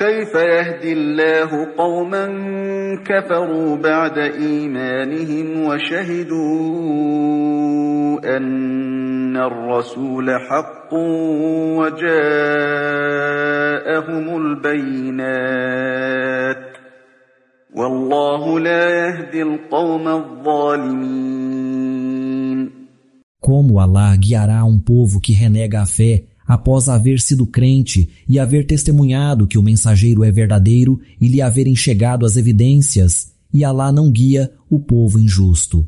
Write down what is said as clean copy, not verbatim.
كيف يهدي الله قوما كفروا بعد إيمانهم وشهدوا أن الرسول حق وجاءهم البينات والله لا يهدي القوم الظالمين. Como Allah guiará um povo que renega a fé após haver sido crente e haver testemunhado que o mensageiro é verdadeiro e lhe haverem chegado as evidências, e Allah não guia o povo injusto.